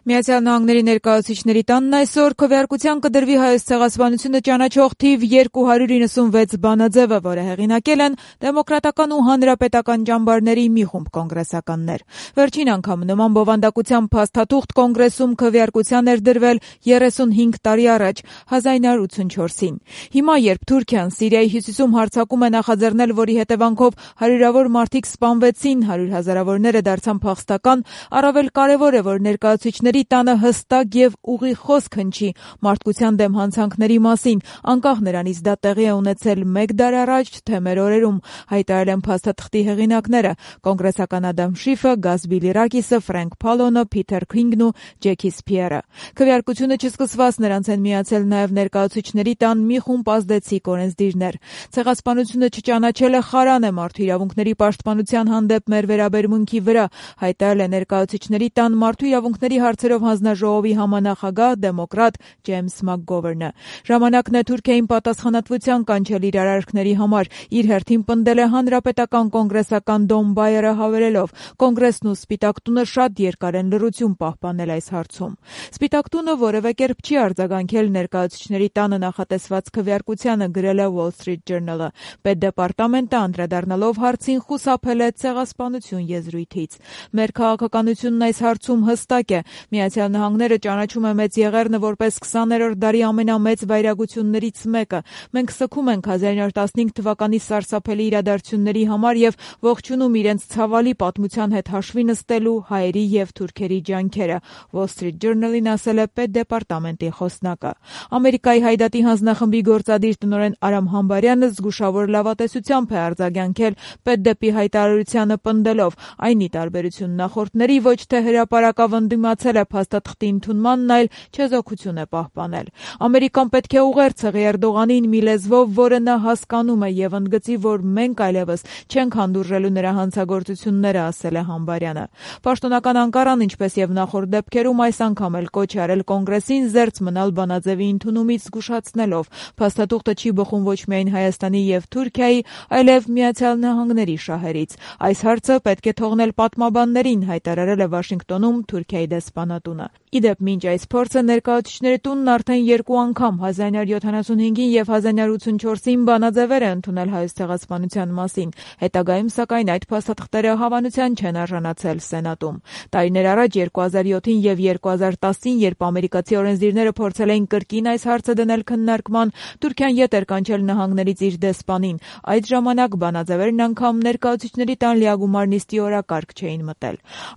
Միացյալ Նահանգների ներկայացուցիչների տանն այսօր քվեարկության կդրվի Հայոց ցեղասպանությունը ճանաչող թիվ 296 բանաձևը, որը հեղինակել են դեմոկրատական ու հանրապետական ճամբարների մի խումբ կոնգրեսականներ։ Վերջին անգամ նման բովանդակությամբ փաստաթուղթ կոնգրեսում քվեարկության էր դրվել 35 տարի առաջ, 1984-ին։ Հիմա, երբ Թուրքիան Սիրիայի հյուսիսում հարձակում է նախաձեռնել, որի հետևանքով հարյուրավոր մարդիկ սպանվեցին, 100 հազարավորները դարձան փախստական, առավել կարևոր է, որ ներկայացուցիչների տանը հստակ եւ ուղիղ խոսք հնչի մարդկության դեմ հանցանքների մասին, անկախ նրանից դա տեղի է ունեցել 1 դար առաջ, թե մեր օրերում, հայտարարել են փաստաթղթի հեղինակները՝ կոնգրեսական Ադամ Շիֆը, Գազ Բիլիրակիսը, Ֆրենկ Փալոնը, Փիթեր Քինգն ու Ջեքի Սփիերը։ Քվեարկությունը չսկսված նրանց են միացել նաեւ ներկայացուցիչների տան մի խումբ ազդեցիկ օրենսդիրներ։ Ցեղասպանությունը չճանաչելը խարան է մարդու իրավունքների պաշտպանության հանդեպ մեր վերաբերմունքի վրա, հայտարարել է ներկայացուցիչների տան մարդու իրավունքների հարցերով հանձնաժողովի համանախագահ դեմոկրատ Ջեյմս Մակգովերնը։ Ժամանակն է Թուրքիային պատասխանատվության կանչել իր արարքների համար, իր հերթին պնդել է հանրապետական կոնգրեսական Դոն Բայերը հավելելով. կոնգրեսն ու Սպիտակ տունը շատ երկար են լռություն պահպանել այս հարցում։ Սպիտակ տունը որևէ կերպ չի արձագանքել ներկայացուցիչների տանը նախատեսված քվեարկությանը, գրել է Wall Street Journal-ը։ Պետդեպարտամենտը անդրադառնալով հարցին խուսափել է ցեղասպանություն եզրույթից։ Մեր քաղաքականությունն այս հարցում հստակ է։ Միացյալ Նահանգները ճանաչում է Մեծ Եղեռնը որպես 20-րդ դարի ամենամեծ վայրագություններից մեկը։ Մենք սգում ենք 1915 թվականի սարսափելի իրադարձությունների համար եւ ողջունում իրենց ցավալի պատմության հետ հաշվի նստելու հայերի եւ թուրքերի ջանքերը, Wall Street Journal-ին ասել է Պետդեպարտամենտի խոսնակը։ Ամերիկայի Հայդատի հանձնախմբի գործադիր տնօրեն Արամ Համբարյանը զգուշավոր լավատեսությամբ է արձագանքել Պետդեպի հայտարարությանը, պնդելով. այն ի տարբերություն նախորդների ոչ թե հրապարակավ ընդդիմացել է փաստաթղթի ընդունմանն, այլ չեզոքություն է պահպանել։ Ամերիկան պետք է ուղերձ հղի Էրդողանին մի լեզվով, որը նա հասկանում է, եւ ընդգծի, որ մենք այլևս չենք հանդուրժելու նրա հանցագործությունները, ասել է Համբարյանը։ Պաշտոնական Անկարան, ինչպես եւ նախորդ դեպքերում, այս անգամ էլ կոչ է արել կոնգրեսին զերծ մնալ բանաձևի ընդունումից, զգուշացնելով. փաստաթուղթը չի բխում ոչ միայն Հայաստանի եւ Թուրքիայի, այլև Միացյալ Նահանգների շահերից։ Այս հարցը պետք է թողնել պատմաբաններին, հայտարարել է Վաշինգտոնում Թուրքիայի դեսպանատունը։ Իդեպ, մինչ այս փորձը ներկայացուցիչների տունն արդեն 2 անգամ 1975-ին եւ 1984-ին բանաձևեր է ընդունել Հայոց ցեղասպանության մասին։ Հետագայում, սակայն, այդ փաստաթղթերը հավանության չեն արժանացել Սենատում։ Տարիներ առաջ 2007-ին եւ 2010-ին, երբ ամերիկացի օրենսդիրները փորձել էին կրկին այս հարցը դնել քննարկման, Թուրքիան ետ էր կանչել նահանգներից իր դեսպանին։ Այդ ժամանակ բանաձևերն անգամ ներկայացուցիչների տան լիագումար նիստի օրակարգ չէին մտել։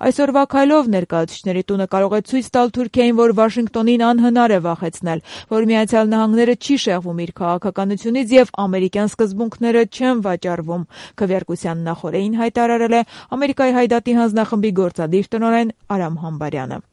Այսօրվա քայլով ներկայացուցիչների տունը կարող է ցույց տալ Թուրքիային, որ Վաշինգտոնին անհնար է վախեցնել, որ Միացյալ Նահանգները չի շեղվում իր քաղաքականությունից եւ ամերիկյան սկզբունքները չեն վաճառվում։ Քվեարկության նախօրեին հայտարարել է Ամերիկայի Հայդատի հանձնախմբի գործադիր տնօրեն Արամ Համբարյանը։